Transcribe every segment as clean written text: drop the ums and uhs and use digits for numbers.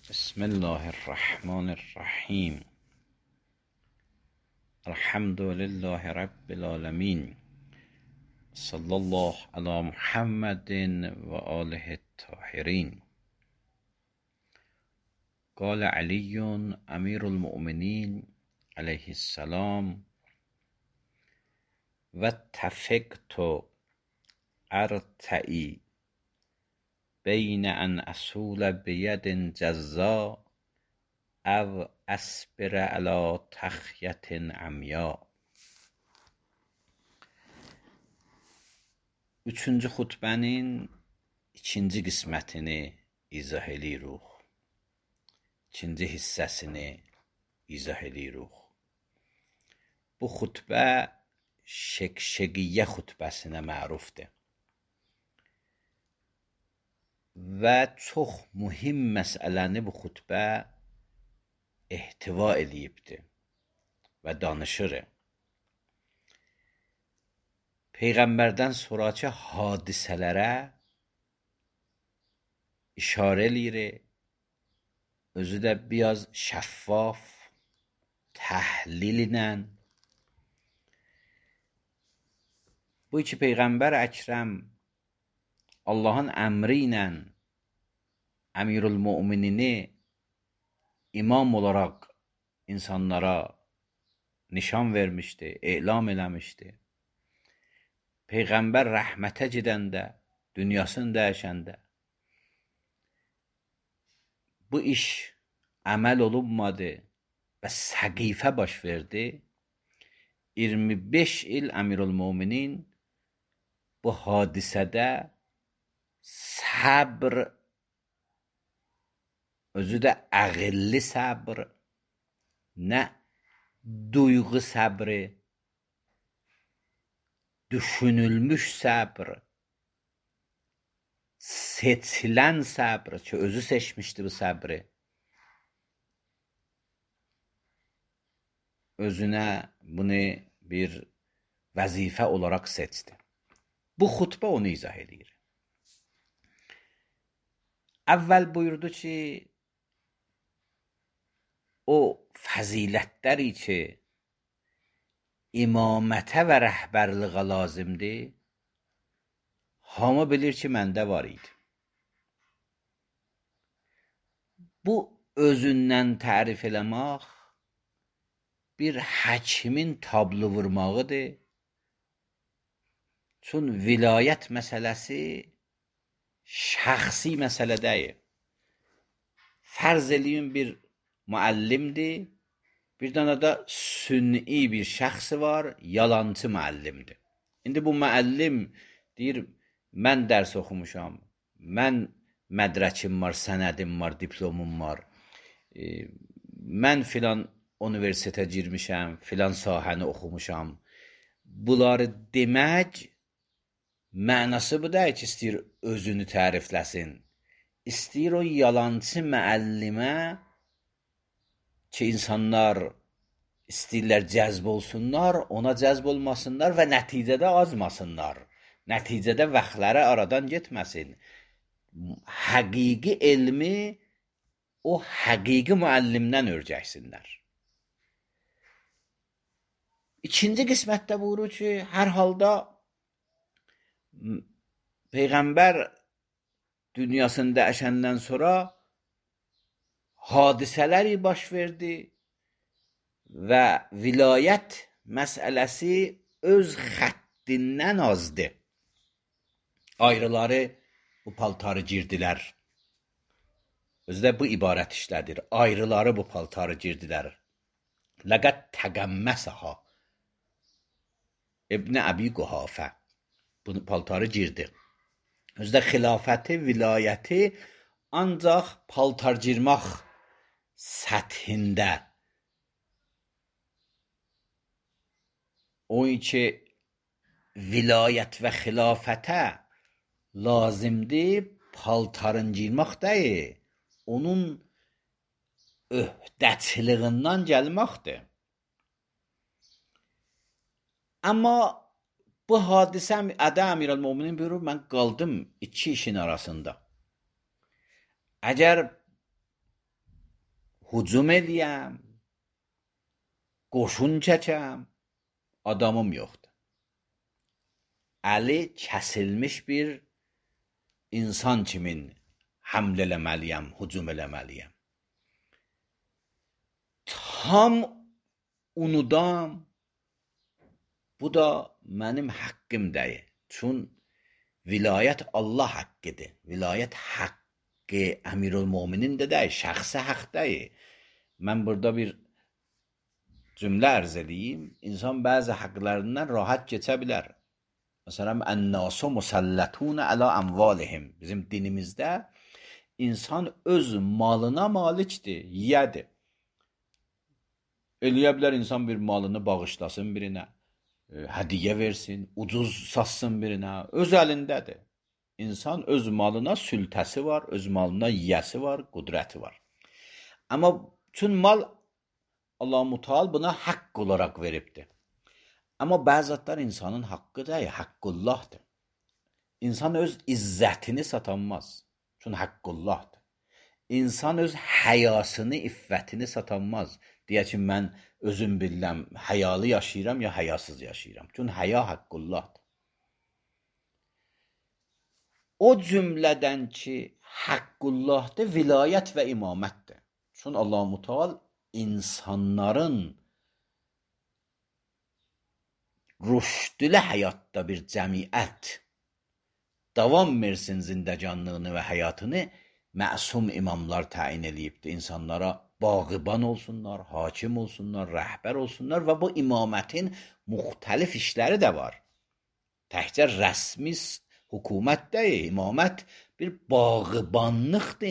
بسم الله الرحمن الرحیم. الحمد لله رب العالمین. صلی الله علی محمد و آله الطاهرین. قال علی امیر المؤمنین علیه السلام: و اتفقت ارتعی بین ان اصول بید جزا او اصبر علی تخیت عمیا. Üçüncü xutbənin ikinci qismətini izah edirik. İkinci hissəsini izah edirik. Bu xutbə şekşegiyyə xutbəsinə mərufdur. Və çox mühüm məsələni bu xutbə ehtiva edibdir və danışır. Peyğəmbərdən sonraki hadisələrə işarə eləyir. Özü də biraz şəffaf, təhlil ilə. Bu iki Peyğəmbər Əkrəm Allahın əmri ilə Əmirül-Müminini imam olaraq insanlara nişan vermişdi, elam eləmişdi. Peyğəmbər rəhmətə gedəndə, dünyasını dəyişəndə bu iş əməl olunmadı və səqifə baş verdi. 25 il Əmirül-Müminin bu hadisədə səbr, özü də əqilli səbr, nə duyğu səbri, düşünülmüş səbr, seçilən səbr ki, özü seçmişdi bu səbri, özünə bunu bir vəzifə olaraq seçdi. Bu xutbə onu izah edir. Əvvəl buyurdu ki, o fəzilətləri ki, imamətə və rəhbərliğə lazımdır, hamı bilir ki, məndə var idi. Bu özündən tərif eləmək bir həkimin tablo vurmağıdır. Çün vilayət məsələsi şəxsi məsələ deyil. Fərz eləyin bir müəllimdir, bir dənə də sünni bir şəxsi var, yalancı müəllimdir. İndi bu müəllim deyir, mən dərs oxumuşam, mən mədrəkim var, sənədim var, diplomum var, mən filan universitetə girmişəm, filan sahəni oxumuşam. Bunları demək mənası bu deyil ki, istəyir özünü tərifləsin. İstəyir o yalancı müəllimə ki, insanlar istəyirlər cəzb olsunlar, ona cəzb olmasınlar və nəticədə azmasınlar. Nəticədə vaxtları aradan getməsin. Həqiqi elmi o həqiqi müəllimdən öyrənsinlər. İkinci qismətdə buyurur ki, hər halda Peyğəmbər dünyasında əşəndən sonra hadisələri baş verdi və vilayət məsələsi öz xəttindən azdı. Ayrıları bu paltarı girdilər. Özü də bu ibarət işlədir. Ayrıları bu paltarı girdilər. Ləqət təqəmməsəha İbn Əbi Quhafə bu paltarı girdi. Özü də xilafəti, vilayəti ancaq paltar girmək səthində. O ki, vilayət və xilafətə lazımdır, paltarın girmək deyil, onun öhdəçiliğindən gəlməkdir. Amma bu hadisə Ədə Əmirəl-Müminin buyurur, mən qaldım iki işin arasında. Əgər hücum eləyəm, qoşun çəkəm, adamım yoxdur. Əli kəsilmiş bir insan kimin həmlə eləməliyəm, hücum eləməliyəm. Tam unudam, bu da mənim haqqım deyil. Çün vilayət Allah haqqıdır. Vilayət haqqı Əmirülmöminin də deyil, şəxsi haqq deyil. Mən burada bir cümlə ərz edeyim. İnsan bəzi haqqlarından rahat keçə bilər. Məsələn, ən-nasu musallətun əla əmvalihim. Bizim dinimizdə insan öz malına malikdir, yiyədir. Eləyə bilər insan bir malını bağışlasın birinə, hədiyyə versin, ucuz satsın birinə, öz əlindədir. İnsan öz malına sültəsi var, öz malına yiyəsi var, qudrəti var. Amma bütün mal Allah-u Teala buna haqq olaraq veribdir. Amma bəzi zatlar insanın haqqı deyil, haqqullahdır. İnsan öz izzətini satanmaz. Çünki haqqullahdır. İnsan öz həyasını, iffətini satanmaz. Deyə ki, mən özüm biləm, həyalı yaşayıram ya həyasız yaşayıram. Çünki həya haqqullahdır. O cümlədən ki, haqqullahdır, vilayət və imamətdir. Çünki Allah-u Teala insanların rüşdülə həyatda bir cəmiyyət davam versin zindəcanlığını və həyatını məsum imamlar təyin eləyibdir. İnsanlara bağıban olsunlar, hakim olsunlar, rəhbər olsunlar və bu imamətin müxtəlif işləri də var. Təkcə rəsmi hökumət deyil, imamət bir bağıbanlıqdır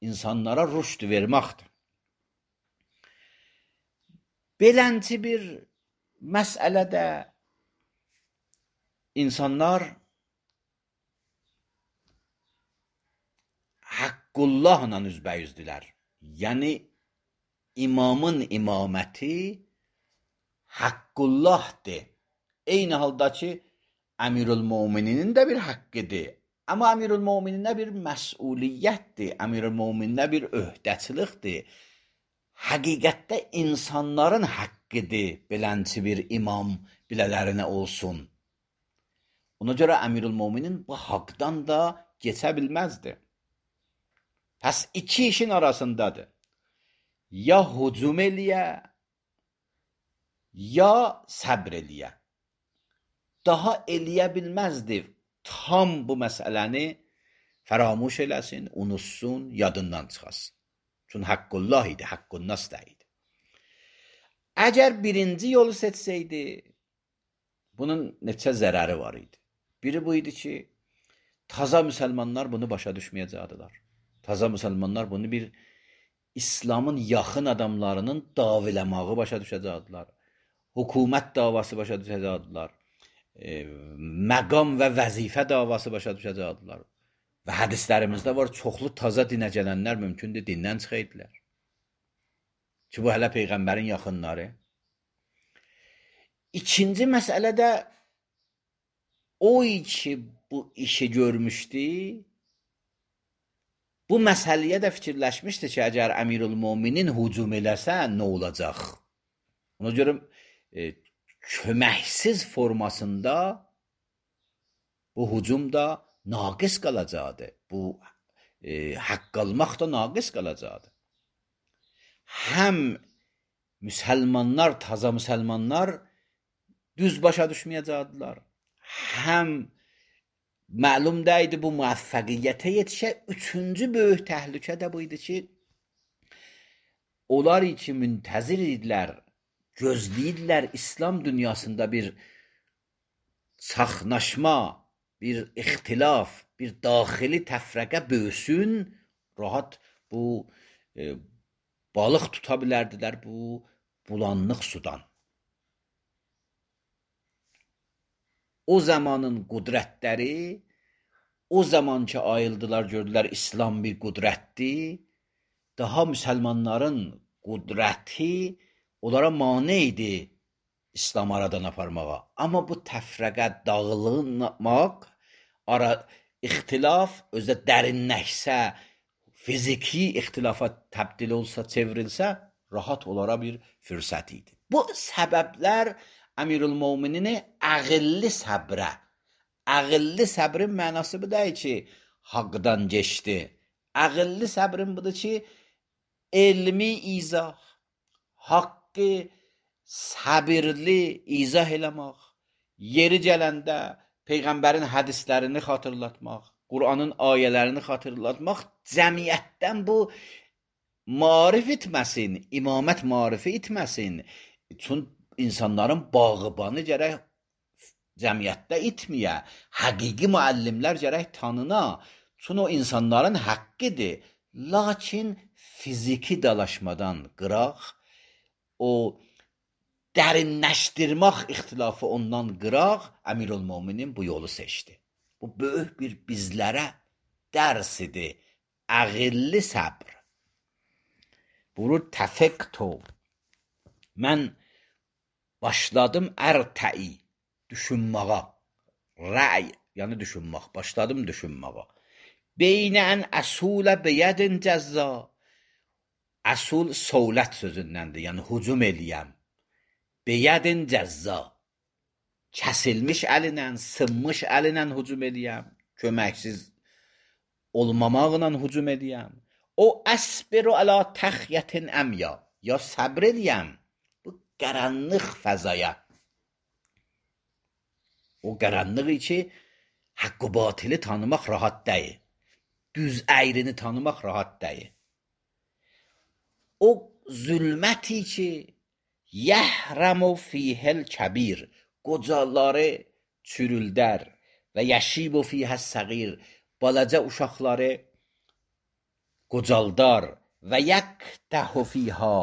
insanlara rüşd verməkdir. Belənci bir məsələdə insanlar haqqullahla üzbəyüzdülər. Yəni, imamın imaməti haqqullahdır. Eyni halda ki, Əmirülmöminin də bir haqqıdır. Amma Əmirülmömininə bir məsuliyyətdir, Əmirülmömininə bir öhdəçilikdir. Həqiqətdə insanların haqqıdır belənçi bir imam bilələrinə olsun. Ona görə Əmirülmöminin bu haqdan da keçə bilməzdi. Pəs iki işin arasındadır. Ya hücum eləyə, ya səbr eləyə. Daha eləyə bilməzdi. Tam bu məsələni fəramuş eləsin, unutsun, yadından çıxasın. Çünki haqqullah idi, haqqunnas da idi. Əgər birinci yolu seçsəydi, bunun neçə zərəri var idi. Biri bu idi ki, taza müsəlmanlar bunu başa düşməyəcəkdilər. Taza müsəlmanlar bunu bir İslamın yaxın adamlarının daviləmağı başa düşəcəkdilər. Hökumət davası başa düşəcəkdilər. Məqam və vəzifə davası başa düşəcəkdilər. Və hədislərimizdə var, çoxlu taza dinə gələnlər mümkündür dindən çıxaydılar. Ki, bu hələ Peyğəmbərin yaxınları. İkinci məsələ də o ki, bu işi görmüşdü, bu məsələyə də fikirləşmişdi ki, əgər Əmirülmöminin hücum eləsə, nə olacaq? Ona görə köməksiz formasında bu hücum da naqis qalacaqdır. Bu haqq almaq da naqis qalacaqdır. Həm müsəlmanlar, taza müsəlmanlar düz başa düşməyəcəkdilər. Həm məlum deyildi bu müvəffəqiyyətə yetişə. Üçüncü böyük təhlükə də bu idi ki, onlar ki müntəzir idilər, gözləyirlər İslam dünyasında bir çaxnaşma, bir ixtilaf, bir daxili təfrəqə böyüsün, rahat bu balıq tuta bilərdilər bu bulanlıq sudan. O zamanın qudrətləri, o zaman ki ayıldılar, gördülər İslam bir qudrətdir, daha müsəlmanların qudrəti onlara mane idi İslam aradan aparmağa. Amma bu təfrəqə dağılmaq, ixtilaf özdə dərinləşsə, fiziki ixtilafat təbdil olsa, çevrilsə, rahat olara bir fürsət idi. Bu səbəblər Əmirülmöminini ağıllı səbrə, ağıllı səbrin mənası bu deyil ki, haqdan geçdi. Ağıllı səbrin budur ki, elmi izah, haqqı səbirli izah eləmək, yeri gələndə Peyğəmbərin hədislərini xatırlatmaq, Qur'anın ayələrini xatırlatmaq, cəmiyyətdən bu marif etməsin, imamət marifi etməsin. Çünki insanların bağıbanı gərək cəmiyyətdə itməyə, həqiqi müəllimlər gərək tanına. Çünki o insanların haqqıdır. Lakin fiziki dalaşmadan qıraq, o dərinləşdirmək ixtilafı ondan qıraq, Əmirülmöminin bu yolu seçdi. Bu böyük bir bizlərə dərs idi. Ağıllı səbr. Buyurur, təfəkkto. Mən başladım ərtəi, düşünməyə. Rəy, yəni düşünmək. Başladım düşünməyə. Beynə ən əsulə beyədin cəzza. Əsul səulət sözündəndir, yəni hücum eləyəm. Beyədin cəzza. Kəsilmiş əlinlə, sınmış əlinlə hücum eləyəm. Köməksiz olmamaqla hücum eləyəm. O əsbiru əla təxyətin əmya. Ya səbr eləyəm bu qaranlıq fəzaya. O qaranlığı ki, haqqı batili tanımaq rahat deyil. Düz əyrini tanımaq rahat deyil. O zülməti ki, yəhramu fihəl kəbir, qocaları çürüldər və yəşibu fihəs səğir, balaca uşaqları qocaldar və yəqtəhu fihə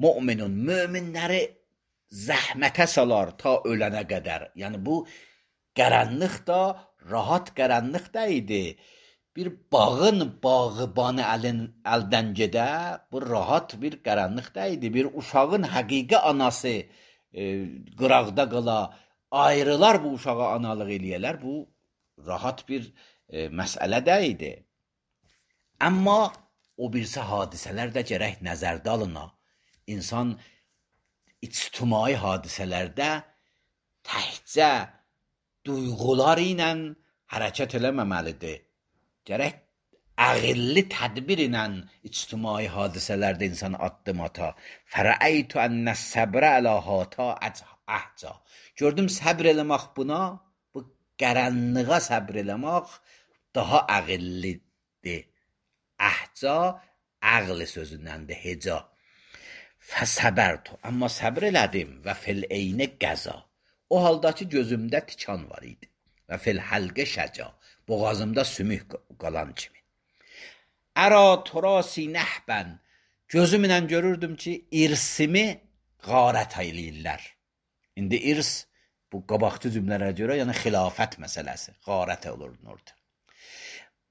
müminun, möminləri zəhmətə salar ta ölənə qədər. Yəni bu qaranlıq da rahat qaranlıq da idi. Bir bağın bağıbanı əldən gedə, bu rahat bir qaranlıq da idi. Bir uşağın həqiqi anası qıraqda qala, ayrılar bu uşağa analıq eləyələr, bu rahat bir məsələ də idi. Amma o birisi hadisələr də gərək nəzərdə alına. İnsan ictimai hadisələrdə təhcə duyğular ilə hərəkət eləməməlidir. Gərək ağıllı tədbir ilə ictimai hadisələrdə insan addım ata. Fərəəytu ənə səbrə ələ hata əhca. Gördüm səbr eləmək buna, bu qaranlığa səbr eləmək daha ağıllıdır. Əhca ağlı sözündəndir, heca. Fəsəbərtu, amma səbr elədim və fil eyni qəza. O halda ki, gözümdə tikan var idi və fil həlqə şəca, boğazımda sümük qalan kimi. Ərə turasi nəhbən, gözümlə görürdüm ki, irsimi qarət eləyirlər. İndi irs, bu qabaqçı cümlələrə görə, yəni xilafət məsələsi, qarət olurdu orada.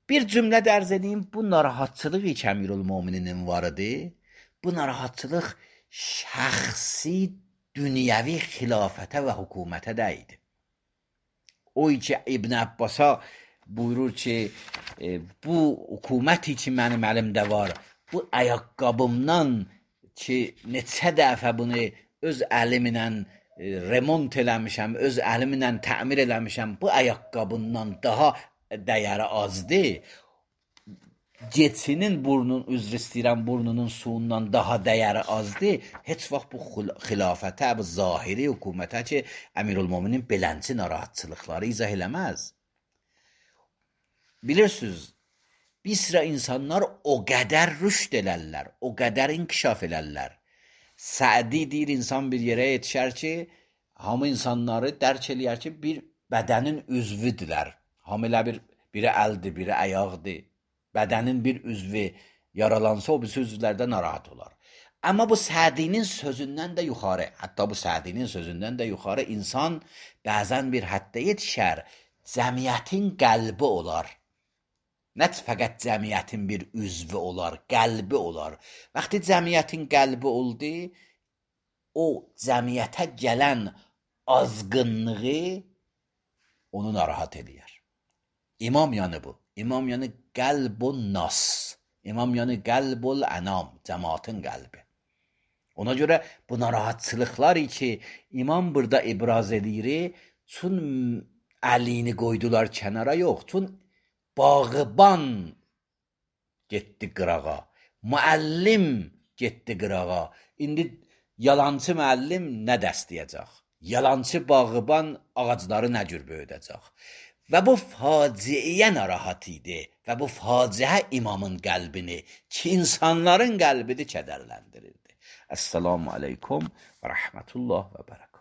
Bir cümlə dərz edeyim, bu narahatçılıq ki, Əmirülmömininin var idi. Bu narahatçılıq şəxsi, dünyəvi xilafətə və hökumətə də idi. O ki, İbn Əbbasa buyurur ki, bu hökuməti ki, mənim əlimdə var, bu ayaqqabımdan ki, neçə dəfə bunu öz əlimlə remont eləmişəm, öz əlimlə təmir eləmişəm, bu ayaqqabından daha dəyəri azdır. Geçinin burnun, üzr istəyirəm, burnunun suyundan daha dəyəri azdır. Heç vaxt bu xilafətə, bu zahiri hökumətə ki, Əmirülmöminin belənçi narahatçılıqları izah eləməz. Bilirsiniz, bir sıra insanlar o qədər rüşd elərlər, o qədər inkişaf elərlər. Sədi deyir, insan bir yerə yetişər ki, hamı insanları dərk eləyər ki, bir bədənin üzvüdürlər. Hamı elə biri əldir, biri ayaqdır. Bədənin bir üzvü yaralansa, o birisi üzvlərdə narahat olar. Amma bu Sədinin sözündən də yuxarı, hətta bu Sədinin sözündən də yuxarı insan bəzən bir həddə yetişər, cəmiyyətin qəlbi olar. Nə fəqət cəmiyyətin bir üzvü olar, qəlbi olar. Vaxtı cəmiyyətin qəlbi oldu, o cəmiyyətə gələn azğınlığı onu narahat edir. İmam yanı bu. İmam yanı qəlbun nas. İmam yəni qəlbul ənam, cəmaatın qəlbi. Ona görə bu narahatçılıqlar ki, imam burada ibraz edir, çün əlini qoydular kənara yox, çün bağıban getdi qırağa, müəllim getdi qırağa. İndi yalançı müəllim nə dəstəyəcək? Yalançı bağıban ağacları nə cür böyüdəcək? Və bu faciəyə narahat idi və bu faciə imamın qəlbini, ki insanların qəlbini kədərləndirirdi. Əssalamu aleykum və rəhmətullah və bərəkət.